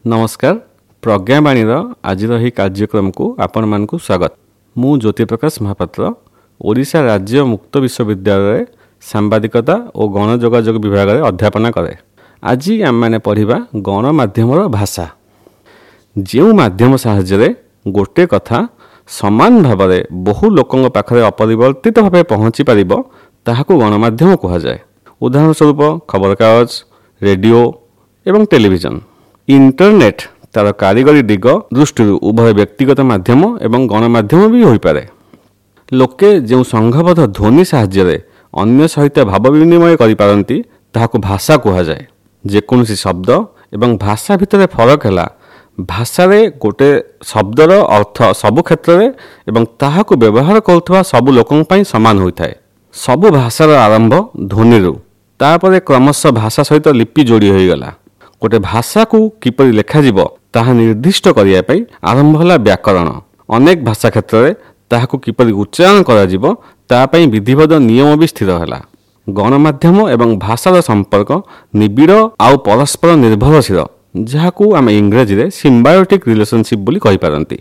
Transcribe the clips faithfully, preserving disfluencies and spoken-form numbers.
ନମସ୍କାର ପ୍ରଜ୍ଞାବାଣୀର ଆଜିର ଏହି କାର୍ଯ୍ୟକ୍ରମକୁ ଆପଣମାନଙ୍କୁ ସ୍ୱାଗତ ମୁଁ ଜ୍ୟୋତିପ୍ରକାଶ ମହାପାତ୍ର ଓଡ଼ିଶା ରାଜ୍ୟ ମୁକ୍ତ ବିଶ୍ୱବିଦ୍ୟାଳୟରେ ସାମ୍ବାଦିକତା ଓ ଗଣଯୋଗାଯୋଗ ବିଭାଗରେ ଅଧ୍ୟାପନା କରେ ଆଜି ଆମେମାନେ ପଢ଼ିବା ଗଣମାଧ୍ୟମର ଭାଷା ଯେଉଁ ମାଧ୍ୟମ ସାହାଯ୍ୟରେ ଗୋଟେ କଥା ସମାନ ଭାବରେ ବହୁ ଲୋକଙ୍କ ପାଖରେ ଅପରିବର୍ତ୍ତିତ ଭାବେ ପହଞ୍ଚି ପାରିବ ତାହାକୁ ଗଣମାଧ୍ୟମ କୁହାଯାଏ ଉଦାହରଣ ସ୍ୱରୂପ ଖବରକାଗଜ ରେଡ଼ିଓ ଏବଂ ଟେଲିଭିଜନ ଇଣ୍ଟରନେଟ୍ ତାର କାରିଗରୀ ଦିଗ ଦୃଷ୍ଟିରୁ ଉଭୟ ବ୍ୟକ୍ତିଗତ ମାଧ୍ୟମ ଏବଂ ଗଣମାଧ୍ୟମ ବି ହୋଇପାରେ ଲୋକେ ଯେଉଁ ସଂଘବଦ୍ଧ ଧ୍ୱନି ସାହାଯ୍ୟରେ ଅନ୍ୟ ସହିତ ଭାବ ବିନିମୟ କରିପାରନ୍ତି ତାହାକୁ ଭାଷା କୁହାଯାଏ ଯେକୌଣସି ଶବ୍ଦ ଏବଂ ଭାଷା ଭିତରେ ଫରକ ହେଲା ଭାଷାରେ ଗୋଟେ ଶବ୍ଦର ଅର୍ଥ ସବୁ କ୍ଷେତ୍ରରେ ଏବଂ ତାହାକୁ ବ୍ୟବହାର କରୁଥିବା ସବୁ ଲୋକଙ୍କ ପାଇଁ ସମାନ ହୋଇଥାଏ ସବୁ ଭାଷାର ଆରମ୍ଭ ଧ୍ୱନିରୁ ତାପରେ କ୍ରମଶଃ ଭାଷା ସହିତ ଲିପି ଯୋଡ଼ି ହୋଇଗଲା ଗୋଟେ ଭାଷାକୁ କିପରି ଲେଖାଯିବ ତାହା ନିର୍ଦ୍ଦିଷ୍ଟ କରିବା ପାଇଁ ଆରମ୍ଭ ହେଲା ବ୍ୟାକରଣ ଅନେକ ଭାଷା କ୍ଷେତ୍ରରେ ତାହାକୁ କିପରି ଉଚ୍ଚାରଣ କରାଯିବ ତା ପାଇଁ ବିଧିବଦ୍ଧ ନିୟମ ବି ସ୍ଥିର ହେଲା ଗଣମାଧ୍ୟମ ଏବଂ ଭାଷାର ସମ୍ପର୍କ ନିବିଡ଼ ଆଉ ପରସ୍ପର ନିର୍ଭରଶୀଳ ଯାହାକୁ ଆମେ ଇଂରାଜୀରେ ସିମ୍ବାୟୋଟିକ୍ ରିଲେସନସିପ୍ ବୋଲି କହିପାରନ୍ତି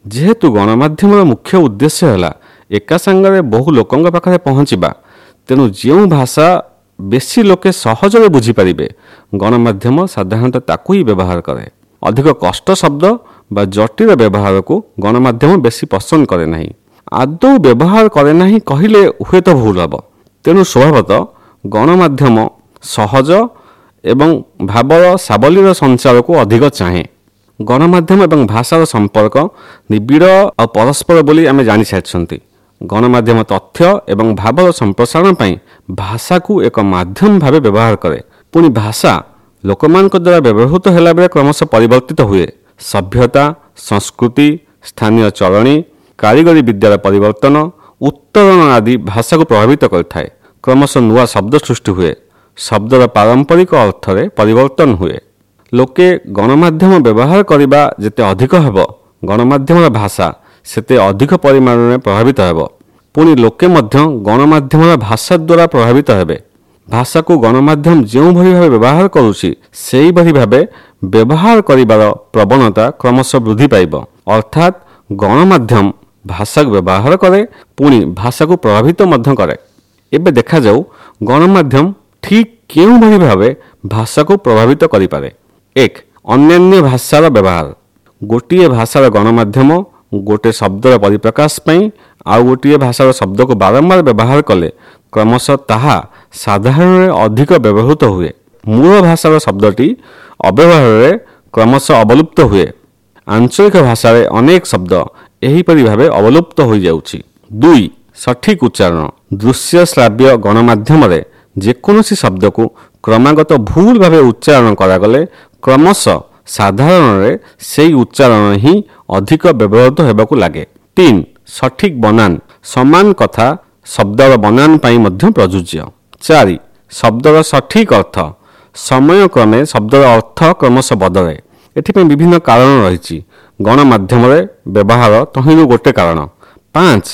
ଯେହେତୁ ଗଣମାଧ୍ୟମର ମୁଖ୍ୟ ଉଦ୍ଦେଶ୍ୟ ହେଲା ଏକା ସାଙ୍ଗରେ ବହୁ ଲୋକଙ୍କ ପାଖରେ ପହଞ୍ଚିବା ତେଣୁ ଯେଉଁ ଭାଷା ବେଶୀ ଲୋକେ ସହଜରେ ବୁଝିପାରିବେ ଗଣମାଧ୍ୟମ ସାଧାରଣତଃ ତାକୁ ହିଁ ବ୍ୟବହାର କରେ ଅଧିକ କଷ୍ଟ ଶବ୍ଦ ବା ଜଟିଳ ବ୍ୟବହାରକୁ ଗଣମାଧ୍ୟମ ବେଶୀ ପସନ୍ଦ କରେ ନାହିଁ ଆଦୌ ବ୍ୟବହାର କରେ ନାହିଁ କହିଲେ ହୁଏତ ଭୁଲ ହେବ ତେଣୁ ସ୍ୱଭାବତଃ ଗଣମାଧ୍ୟମ ସହଜ ଏବଂ ଭାବର ସାବଲୀଳ ସଞ୍ଚାରକୁ ଅଧିକ ଚାହେଁ ଗଣମାଧ୍ୟମ ଏବଂ ଭାଷାର ସମ୍ପର୍କ ନିବିଡ଼ ଆଉ ପରସ୍ପର ବୋଲି ଆମେ ଜାଣିସାରିଛନ୍ତି ଗଣମାଧ୍ୟମ ତଥ୍ୟ ଏବଂ ଭାବର ସମ୍ପ୍ରସାରଣ ପାଇଁ ଭାଷାକୁ ଏକ ମାଧ୍ୟମ ଭାବେ ବ୍ୟବହାର କରେ ପୁଣି ଭାଷା ଲୋକମାନଙ୍କ ଦ୍ୱାରା ବ୍ୟବହୃତ ହେଲାବେଳେ କ୍ରମଶଃ ପରିବର୍ତ୍ତିତ ହୁଏ ସଭ୍ୟତା ସଂସ୍କୃତି ସ୍ଥାନୀୟ ଚଳଣି କାରିଗରୀ ବିଦ୍ୟାର ପରିବର୍ତ୍ତନ ଉତ୍ତରଣ ଆଦି ଭାଷାକୁ ପ୍ରଭାବିତ କରିଥାଏ କ୍ରମଶଃ ନୂଆ ଶବ୍ଦ ସୃଷ୍ଟି ହୁଏ ଶବ୍ଦର ପାରମ୍ପରିକ ଅର୍ଥରେ ପରିବର୍ତ୍ତନ ହୁଏ ଲୋକେ ଗଣମାଧ୍ୟମ ବ୍ୟବହାର କରିବା ଯେତେ ଅଧିକ ହେବ ଗଣମାଧ୍ୟମର ଭାଷା ସେତେ ଅଧିକ ପରିମାଣରେ ପ୍ରଭାବିତ ହେବ ପୁଣି ଲୋକେ ମଧ୍ୟ ଗଣମାଧ୍ୟମର ଭାଷା ଦ୍ୱାରା ପ୍ରଭାବିତ ହେବେ ଭାଷାକୁ ଗଣମାଧ୍ୟମ ଯେଉଁଭଳି ଭାବେ ବ୍ୟବହାର କରୁଛି ସେହିଭଳି ଭାବେ ବ୍ୟବହାର କରିବାର ପ୍ରବଣତା କ୍ରମଶଃ ବୃଦ୍ଧି ପାଇବ ଅର୍ଥାତ୍ ଗଣମାଧ୍ୟମ ଭାଷାକୁ ବ୍ୟବହାର କରେ ପୁଣି ଭାଷାକୁ ପ୍ରଭାବିତ ମଧ୍ୟ କରେ ଏବେ ଦେଖାଯାଉ ଗଣମାଧ୍ୟମ ଠିକ୍ କେଉଁଭଳି ଭାବେ ଭାଷାକୁ ପ୍ରଭାବିତ କରିପାରେ ଏକ ଅନ୍ୟାନ୍ୟ ଭାଷାର ବ୍ୟବହାର ଗୋଟିଏ ଭାଷାର ଗଣମାଧ୍ୟମ ଗୋଟେ ଶବ୍ଦର ପରିପ୍ରକାଶ ପାଇଁ ଆଉ ଗୋଟିଏ ଭାଷାର ଶବ୍ଦକୁ ବାରମ୍ବାର ବ୍ୟବହାର କଲେ କ୍ରମଶଃ ତାହା ସାଧାରଣରେ ଅଧିକ ବ୍ୟବହୃତ ହୁଏ ମୂଳ ଭାଷାର ଶବ୍ଦଟି ଅବ୍ୟବହାରରେ କ୍ରମଶଃ ଅବଲୁପ୍ତ ହୁଏ ଆଞ୍ଚଳିକ ଭାଷାରେ ଅନେକ ଶବ୍ଦ ଏହିପରି ଭାବେ ଅବଲୁପ୍ତ ହୋଇଯାଉଛି ଦୁଇ ସଠିକ୍ ଉଚ୍ଚାରଣ ଦୃଶ୍ୟ ଶ୍ରାବ୍ୟ ଗଣମାଧ୍ୟମରେ ଯେକୌଣସି ଶବ୍ଦକୁ କ୍ରମାଗତ ଭୁଲ ଭାବେ ଉଚ୍ଚାରଣ କରାଗଲେ କ୍ରମଶଃ ସାଧାରଣରେ ସେଇ ଉଚ୍ଚାରଣ ହିଁ ଅଧିକ ବ୍ୟବହୃତ ହେବାକୁ ଲାଗେ ତିନି ସଠିକ୍ ବନାନ ସମାନ କଥା ଶବ୍ଦର ବନାନ ପାଇଁ ମଧ୍ୟ ପ୍ରଯୁଜ୍ୟ ଚାରି ଶବ୍ଦର ସଠିକ୍ ଅର୍ଥ ସମୟକ୍ରମେ ଶବ୍ଦର ଅର୍ଥ କ୍ରମଶଃ ବଦଳେ ଏଥିପାଇଁ ବିଭିନ୍ନ କାରଣ ରହିଛି ଗଣମାଧ୍ୟମରେ ବ୍ୟବହାର ତହିଁରୁ ଗୋଟେ କାରଣ ପାଞ୍ଚ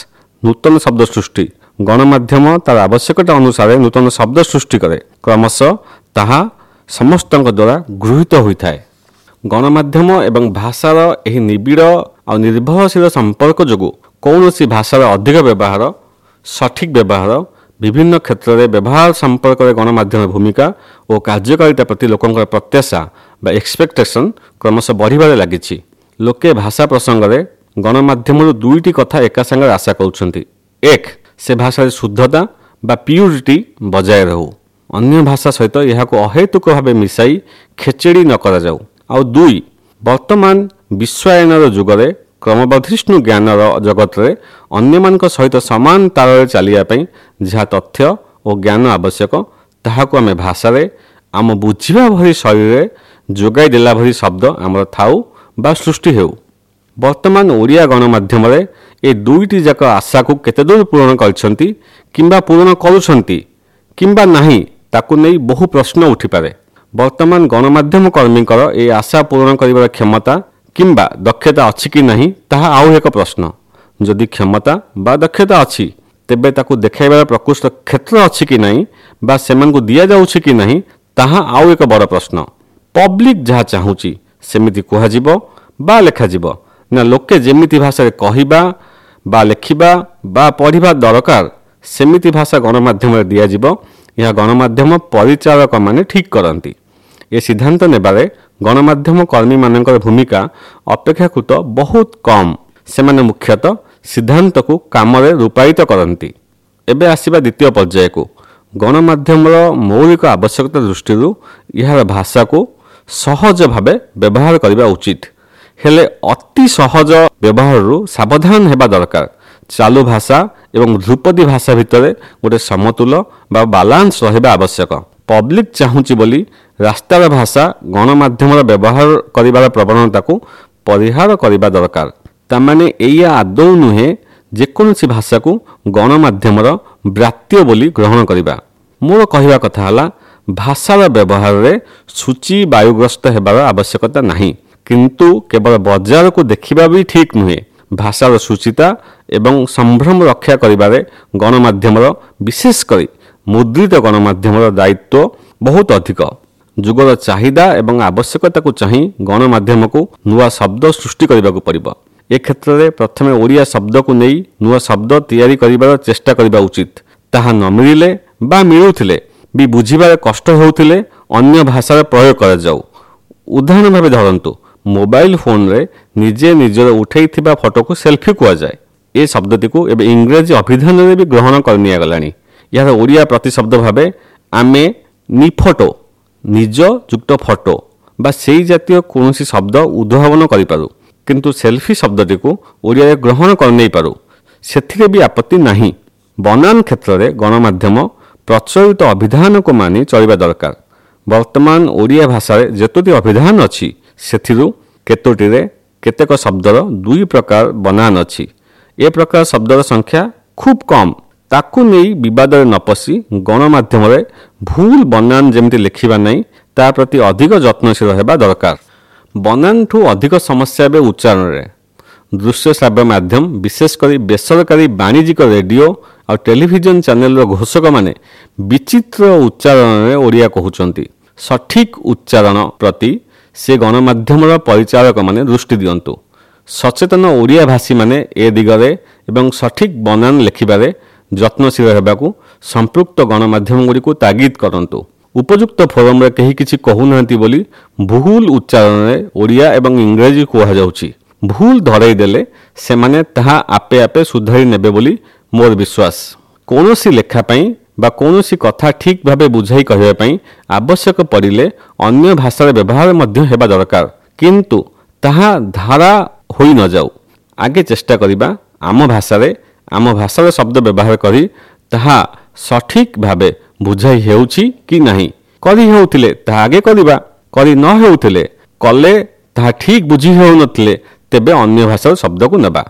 ନୂତନ ଶବ୍ଦ ସୃଷ୍ଟି ଗଣମାଧ୍ୟମ ତାର ଆବଶ୍ୟକତା ଅନୁସାରେ ନୂତନ ଶବ୍ଦ ସୃଷ୍ଟି କରେ କ୍ରମଶଃ ତାହା ସମସ୍ତଙ୍କ ଦ୍ୱାରା ଗୃହୀତ ହୋଇଥାଏ ଗଣମାଧ୍ୟମ ଏବଂ ଭାଷାର ଏହି ନିବିଡ଼ ଆଉ ନିର୍ଭରଶୀଳ ସମ୍ପର୍କ ଯୋଗୁଁ କୌଣସି ଭାଷାର ଅଧିକ ବ୍ୟବହାର ସଠିକ୍ ବ୍ୟବହାର ବିଭିନ୍ନ କ୍ଷେତ୍ରରେ ବ୍ୟବହାର ସମ୍ପର୍କରେ ଗଣମାଧ୍ୟମର ଭୂମିକା ଓ କାର୍ଯ୍ୟକାରିତା ପ୍ରତି ଲୋକଙ୍କର ପ୍ରତ୍ୟାଶା ବା ଏକ୍ସପେକ୍ଟେସନ୍ କ୍ରମଶଃ ବଢ଼ିବାରେ ଲାଗିଛି ଲୋକେ ଭାଷା ପ୍ରସଙ୍ଗରେ ଗଣମାଧ୍ୟମରୁ ଦୁଇଟି କଥା ଏକା ସାଙ୍ଗରେ ଆଶା କରୁଛନ୍ତି ଏକ ସେ ଭାଷାରେ ଶୁଦ୍ଧତା ବା ପିଉରିଟି ବଜାୟ ରହୁ ଅନ୍ୟ ଭାଷା ସହିତ ଏହାକୁ ଅହେତୁକ ଭାବେ ମିଶାଇ ଖେଚେଡ଼ି ନ କରାଯାଉ ଆଉ ଦୁଇ ବର୍ତ୍ତମାନ ବିଶ୍ୱାୟନର ଯୁଗରେ କ୍ରମବର୍ଦ୍ଧିଷ୍ଣୁ ଜ୍ଞାନର ଜଗତରେ ଅନ୍ୟମାନଙ୍କ ସହିତ ସମାନ ତାଳରେ ଚାଲିବା ପାଇଁ ଯାହା ତଥ୍ୟ ଓ ଜ୍ଞାନ ଆବଶ୍ୟକ ତାହାକୁ ଆମେ ଭାଷାରେ ଆମ ବୁଝିବା ଭଳି ଶୈଳୀରେ ଯୋଗାଇ ଦେଲା ଭଳି ଶବ୍ଦ ଆମର ଥାଉ ବା ସୃଷ୍ଟି ହେଉ ବର୍ତ୍ତମାନ ଓଡ଼ିଆ ଗଣମାଧ୍ୟମରେ ଏ ଦୁଇଟି ଯାକ ଆଶାକୁ କେତେଦୂର ପୂରଣ କରିଛନ୍ତି କିମ୍ବା ପୂରଣ କରୁଛନ୍ତି କିମ୍ବା ନାହିଁ ତାକୁ ନେଇ ବହୁ ପ୍ରଶ୍ନ ଉଠିପାରେ ବର୍ତ୍ତମାନ ଗଣମାଧ୍ୟମ କର୍ମୀଙ୍କର ଏ ଆଶା ପୂରଣ କରିବାର କ୍ଷମତା କିମ୍ବା ଦକ୍ଷତା ଅଛି କି ନାହିଁ ତାହା ଆଉ ଏକ ପ୍ରଶ୍ନ ଯଦି କ୍ଷମତା ବା ଦକ୍ଷତା ଅଛି ତେବେ ତାକୁ ଦେଖାଇବାର ପ୍ରକୃଷ୍ଟ କ୍ଷେତ୍ର ଅଛି କି ନାହିଁ ବା ସେମାନଙ୍କୁ ଦିଆଯାଉଛି କି ନାହିଁ ତାହା ଆଉ ଏକ ବଡ଼ ପ୍ରଶ୍ନ ପବ୍ଲିକ୍ ଯାହା ଚାହୁଁଛି ସେମିତି କୁହାଯିବ ବା ଲେଖାଯିବ ନା ଲୋକେ ଯେମିତି ଭାଷାରେ କହିବା ବା ଲେଖିବା ବା ପଢ଼ିବା ଦରକାର ସେମିତି ଭାଷା ଗଣମାଧ୍ୟମରେ ଦିଆଯିବ, ଏହା ଗଣମାଧ୍ୟମ ପରିଚାଳକମାନେ ଠିକ୍ କରନ୍ତି। ଏ ସିଦ୍ଧାନ୍ତ ନେବାରେ ଗଣମାଧ୍ୟମ କର୍ମୀମାନଙ୍କର ଭୂମିକା ଅପେକ୍ଷାକୃତ ବହୁତ କମ୍। ସେମାନେ ମୁଖ୍ୟତଃ ସିଦ୍ଧାନ୍ତକୁ କାମରେ ରୂପାୟିତ କରନ୍ତି। ଏବେ ଆସିବା ଦ୍ୱିତୀୟ ପର୍ଯ୍ୟାୟକୁ। ଗଣମାଧ୍ୟମର ମୌଳିକ ଆବଶ୍ୟକତା ଦୃଷ୍ଟିରୁ ଏହାର ଭାଷାକୁ ସହଜ ଭାବେ ବ୍ୟବହାର କରିବା ଉଚିତ। ହେଲେ ଅତି ସହଜ ବ୍ୟବହାରରୁ ସାବଧାନ ହେବା ଦରକାର। ଚାଲୁ ଭାଷା ଏବଂ ଧ୍ରୁପଦୀ ଭାଷା ଭିତରେ ଗୋଟେ ସମତୁଲ ବା ବାଲାନ୍ସ ରହିବା ଆବଶ୍ୟକ। ପବ୍ଲିକ୍ ଚାହୁଁଛି ବୋଲି ରାସ୍ତାର ଭାଷା ଗଣମାଧ୍ୟମର ବ୍ୟବହାର କରିବାର ପ୍ରବଣତାକୁ ପରିହାର କରିବା ଦରକାର। ତାମାନେ ଏଇଆ ଆଦୌ ନୁହେଁ ଯେକୌଣସି ଭାଷାକୁ ଗଣମାଧ୍ୟମର ବ୍ରାତ୍ୟ ବୋଲି ଗ୍ରହଣ କରିବା। ମୋର କହିବା କଥା ହେଲା, ଭାଷାର ବ୍ୟବହାରରେ ସୂଚି ବାୟୁଗ୍ରସ୍ତ ହେବାର ଆବଶ୍ୟକତା ନାହିଁ, କିନ୍ତୁ କେବଳ ବଜାରକୁ ଦେଖିବା ବି ଠିକ୍ ନୁହେଁ। ଭାଷାର ଶୁଚିତା ଏବଂ ସମ୍ଭ୍ରମ ରକ୍ଷା କରିବାରେ ଗଣମାଧ୍ୟମର, ବିଶେଷ କରି ମୁଦ୍ରିତ ଗଣମାଧ୍ୟମର ଦାୟିତ୍ୱ ବହୁତ ଅଧିକ। ଯୁଗର ଚାହିଦା ଏବଂ ଆବଶ୍ୟକତାକୁ ଚାହିଁ ଗଣମାଧ୍ୟମକୁ ନୂଆ ଶବ୍ଦ ସୃଷ୍ଟି କରିବାକୁ ପଡ଼ିବ। ଏ କ୍ଷେତ୍ରରେ ପ୍ରଥମେ ଓଡ଼ିଆ ଶବ୍ଦକୁ ନେଇ ନୂଆ ଶବ୍ଦ ତିଆରି କରିବାର ଚେଷ୍ଟା କରିବା ଉଚିତ। ତାହା ନ ମିଳିଲେ ବା ମିଳୁଥିଲେ ବି ବୁଝିବାରେ କଷ୍ଟ ହେଉଥିଲେ ଅନ୍ୟ ଭାଷାର ପ୍ରୟୋଗ କରାଯାଉ। ଉଦାହରଣ ଭାବେ ଧରନ୍ତୁ, ମୋବାଇଲ ଫୋନରେ ନିଜେ ନିଜର ଉଠାଇଥିବା ଫଟୋକୁ ସେଲ୍ଫି କୁହାଯାଏ। ଏ ଶବ୍ଦଟିକୁ ଏବେ ଇଂରାଜୀ ଅଭିଧାନରେ ବି ଗ୍ରହଣ କରିନିଆଗଲାଣି। ଏହାର ଓଡ଼ିଆ ପ୍ରତିଶବ୍ଦ ଭାବେ ଆମେ ନିଫଟୋ, ନିଜ ଯୁକ୍ତ ଫଟୋ ବା ସେଇ ଜାତୀୟ କୌଣସି ଶବ୍ଦ ଉଦ୍ଭାବନ କରିପାରୁ, କିନ୍ତୁ ସେଲ୍ଫି ଶବ୍ଦଟିକୁ ଓଡ଼ିଆରେ ଗ୍ରହଣ କରିନେଇପାରୁ, ସେଥିରେ ବି ଆପତ୍ତି ନାହିଁ। ବନାନ କ୍ଷେତ୍ରରେ ଗଣମାଧ୍ୟମ ପ୍ରଚଳିତ ଅଭିଧାନକୁ ମାନି ଚଳିବା ଦରକାର। ବର୍ତ୍ତମାନ ଓଡ଼ିଆ ଭାଷାରେ ଯେତୋଟି ଅଭିଧାନ ଅଛି ସେଥିରୁ କେତୋଟିରେ କେତେକ ଶବ୍ଦର ଦୁଇ ପ୍ରକାର ବନାନ ଅଛି। ଏ ପ୍ରକାର ଶବ୍ଦର ସଂଖ୍ୟା ଖୁବ୍ କମ୍। ତାକୁ ନେଇ ବିବାଦରେ ନ ପଶି ଗଣମାଧ୍ୟମରେ ଭୁଲ ବନାନ ଯେମିତି ଲେଖିବା ନାହିଁ ତା ପ୍ରତି ଅଧିକ ଯତ୍ନଶୀଳ ହେବା ଦରକାର। ବନାନଠୁ ଅଧିକ ସମସ୍ୟା ଏବେ ଉଚ୍ଚାରଣରେ। ଦୃଶ୍ୟ ଶ୍ରାବ୍ୟ ମାଧ୍ୟମ, ବିଶେଷ କରି ବେସରକାରୀ ବାଣିଜ୍ୟିକ ରେଡ଼ିଓ ଆଉ ଟେଲିଭିଜନ ଚ୍ୟାନେଲର ଘୋଷକମାନେ ବିଚିତ୍ର ଉଚ୍ଚାରଣରେ ଓଡ଼ିଆ କହୁଛନ୍ତି। ସଠିକ୍ ଉଚ୍ଚାରଣ ପ୍ରତି ସେ ଗଣମାଧ୍ୟମର ପରିଚାଳକମାନେ ଦୃଷ୍ଟି ଦିଅନ୍ତୁ। ସଚେତନ ଓଡ଼ିଆ ଭାଷୀମାନେ ଏ ଦିଗରେ ଏବଂ ସଠିକ୍ ବନାନ ଲେଖିବାରେ ଯତ୍ନଶୀଳ ହେବାକୁ ସମ୍ପୃକ୍ତ ଗଣମାଧ୍ୟମଗୁଡ଼ିକୁ ତାଗିଦ କରନ୍ତୁ। ଉପଯୁକ୍ତ ଫୋରମରେ କେହି କିଛି କହୁନାହାନ୍ତି ବୋଲି ଭୁଲ ଉଚ୍ଚାରଣରେ ଓଡ଼ିଆ ଏବଂ ଇଂରାଜୀ କୁହାଯାଉଛି। ଭୁଲ ଧରାଇ ଦେଲେ ସେମାନେ ତାହା ଆପେ ଆପେ ସୁଧାରି ନେବେ ବୋଲି ମୋର ବିଶ୍ୱାସ। କୌଣସି ଲେଖା ପାଇଁ ବା କୌଣସି କଥା ଠିକ୍ ଭାବେ ବୁଝାଇ କହିବା ପାଇଁ ଆବଶ୍ୟକ ପଡ଼ିଲେ ଅନ୍ୟ ଭାଷାର ବ୍ୟବହାର ମଧ୍ୟ ହେବା ଦରକାର, କିନ୍ତୁ ତାହା ଧାରା ହୋଇ ନଯାଉ। ଆଗେ ଚେଷ୍ଟା କରିବା ଆମ ଭାଷାରେ ଆମ ଭାଷାର ଶବ୍ଦ ବ୍ୟବହାର କରି ତାହା ସଠିକ୍ ଭାବେ ବୁଝାଇ ହେଉଛି କି ନାହିଁ। କରି ହେଉଥିଲେ ତାହା ଆଗେ କରିବା, କରି ନ ହେଉଥିଲେ କଲେ ତାହା ଠିକ୍ ବୁଝି ହେଉନଥିଲେ ତେବେ ଅନ୍ୟ ଭାଷାର ଶବ୍ଦକୁ ନେବା।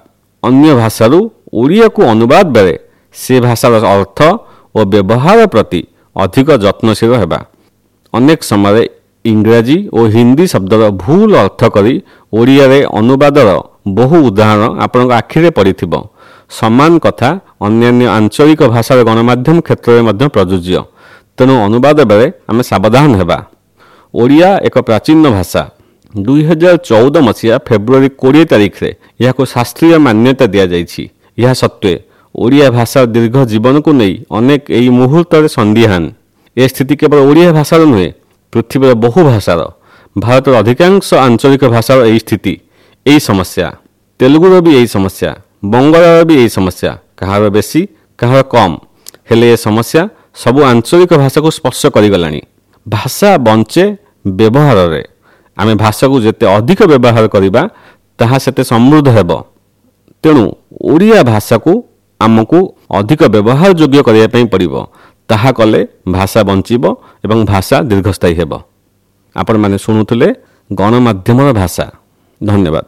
ଅନ୍ୟ ଭାଷାରୁ ଓଡ଼ିଆକୁ ଅନୁବାଦ ବେଳେ ସେ ଭାଷାର ଅର୍ଥ ଓ ବ୍ୟବହାର ପ୍ରତି ଅଧିକ ଯତ୍ନଶୀଳ ହେବା। ଅନେକ ସମୟରେ ଇଂରାଜୀ ଓ ହିନ୍ଦୀ ଶବ୍ଦର ଭୁଲ ଅର୍ଥ କରି ଓଡ଼ିଆରେ ଅନୁବାଦର ବହୁ ଉଦାହରଣ ଆପଣଙ୍କ ଆଖିରେ ପଡ଼ିଥିବ। ସମାନ କଥା ଅନ୍ୟାନ୍ୟ ଆଞ୍ଚଳିକ ଭାଷାର ଗଣମାଧ୍ୟମ କ୍ଷେତ୍ରରେ ମଧ୍ୟ ପ୍ରଯୁଜ୍ୟ। ତେଣୁ ଅନୁବାଦ ବେଳେ ଆମେ ସାବଧାନ ହେବା। ଓଡ଼ିଆ ଏକ ପ୍ରାଚୀନ ଭାଷା। ଦୁଇ ହଜାର ଚଉଦ ମସିହା ଫେବୃଆରୀ କୋଡ଼ିଏ ତାରିଖରେ ଏହାକୁ ଶାସ୍ତ୍ରୀୟ ମାନ୍ୟତା ଦିଆଯାଇଛି। ଏହା ସତ୍ତ୍ୱେ ଓଡ଼ିଆ ଭାଷାର ଦୀର୍ଘ ଜୀବନକୁ ନେଇ ଅନେକ ଏହି ମୁହୂର୍ତ୍ତରେ ସନ୍ଦିହାନ। ଏ ସ୍ଥିତି କେବଳ ଓଡ଼ିଆ ଭାଷାର ନୁହେଁ, ପୃଥିବୀର ବହୁ ଭାଷାର। ଭାରତର ଅଧିକାଂଶ ଆଞ୍ଚଳିକ ଭାଷାର ଏହି ସ୍ଥିତି, ଏହି ସମସ୍ୟା। ତେଲୁଗୁର ବି ଏହି ସମସ୍ୟା, ବଙ୍ଗଳାର ବି ଏହି ସମସ୍ୟା, କାହାର ବେଶୀ କାହାର କମ୍। ହେଲେ ଏ ସମସ୍ୟା ସବୁ ଆଞ୍ଚଳିକ ଭାଷାକୁ ସ୍ପର୍ଶ କରିଗଲାଣି। ଭାଷା ବଞ୍ଚେ ବ୍ୟବହାରରେ। ଆମେ ଭାଷାକୁ ଯେତେ ଅଧିକ ବ୍ୟବହାର କରିବା ତାହା ସେତେ ସମୃଦ୍ଧ ହେବ। ତେଣୁ ଓଡ଼ିଆ ଭାଷାକୁ ଆମକୁ ଅଧିକ ବ୍ୟବହାର ଯୋଗ୍ୟ କରିବା ପାଇଁ ପଡ଼ିବ। ତାହା କଲେ ଭାଷା ବଞ୍ଚିବ ଏବଂ ଭାଷା ଦୀର୍ଘସ୍ଥାୟୀ ହେବ। ଆପଣମାନେ ଶୁଣୁଥିଲେ ଗଣମାଧ୍ୟମର ଭାଷା। ଧନ୍ୟବାଦ।